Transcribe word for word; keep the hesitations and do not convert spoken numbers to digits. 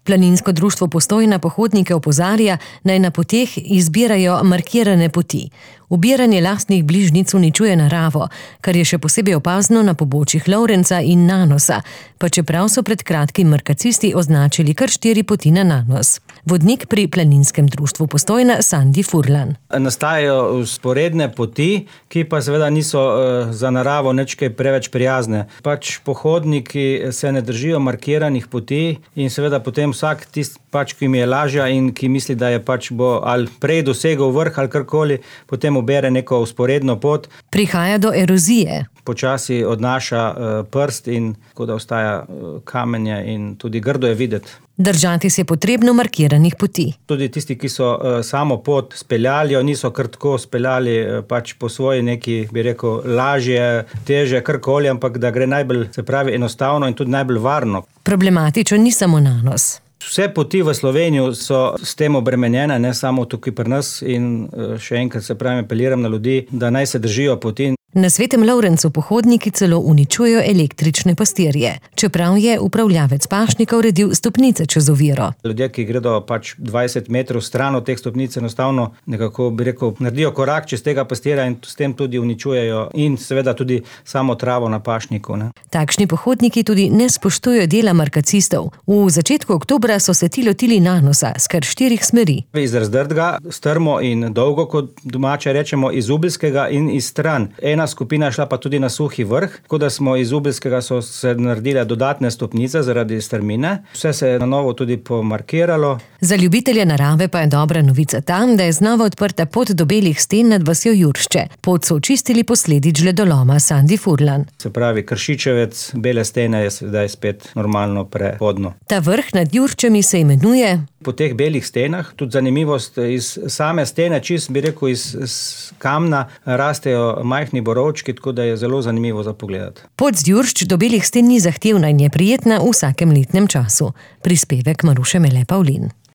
Planinsko društvo Postojna pohodnike opozarja, naj na poteh izbirajo markirane poti. Ubiranje lastnih bližnjic uničuje naravo, kar je še posebej opazno na pobočjih Lovrenca in Nanosa, pa čeprav so pred kratkim markacisti označili kar štiri poti na Nanos. Vodnik pri Planinskem društvu Postojna Sandi Furlan. Nastajajo vzporedne poti, ki pa seveda niso uh, za naravo nič kaj preveč prijazne. Pač pohodniki se ne držijo markiranih poti in seveda potem vsak tist, pač, ki mi je lažja in ki misli, da je pač bo ali prej dosegel vrh ali karkoli, potem ubere neko vzporedno pot. Prihaja do erozije. Počasi odnaša uh, prst in tako da ostaja uh, kamenje in tudi grdo je videti. Držati se je potrebno markiranih poti. Tudi tisti, ki so uh, samo pot speljali, niso kar tako speljali uh, pač po svoji neki, bi rekel, lažje, teže, karkoli, ampak da gre najbolj, se pravi, enostavno in tudi najbolj varno. Problematično ni samo Nanos. Vse poti v Slovenijo so s tem obremenjene, ne samo tukaj pri nas in uh, še enkrat se pravi, apeliram na ljudi, da naj se držijo poti. Na Svetem Lovrencu pohodniki celo uničujejo električne pastirje, čeprav je upravljavec pašnika uredil stopnice čez oviro. Ljudje, ki gredo pač dvajset metrov stran od teh stopnic, enostavno nekako, bi rekel, naredijo korak čez tega pastirja in s tem tudi uničujejo in seveda tudi samo travo na pašniku. Ne. Takšni pohodniki tudi ne spoštujejo dela markacistov. V začetku oktobra so se ti lotili Nanosa s kar štirih smeri. Iz Razdrtega, strmo in dolgo, kot domače rečemo, iz Ubelskega in iz stran. Ena skupina šla pa tudi na Suhi vrh, tako da smo iz Ubelskega so se naredile dodatne stopnice zaradi strmine. Vse se je na novo tudi pomarkiralo. Za ljubitelje narave pa je dobra novica tam, da je znova odprta pot do Belih sten nad vasjo Juršče. Pot so očistili posledic žledoloma Sandi Furlan. Se pravi, Kršičevec, Bele stene je sedaj spet normalno prehodno. Ta vrh nad Jurščami se imenuje... Po teh belih stenah, tudi zanimivost, iz same stene, čist bi rekel, iz, iz kamna rastejo majhni borovčki, tako da je zelo zanimivo za pogledati. Pot z Juršč do Belih sten ni zahtevna in je prijetna v vsakem letnem času. Prispevek Maruše Mele Pavlin.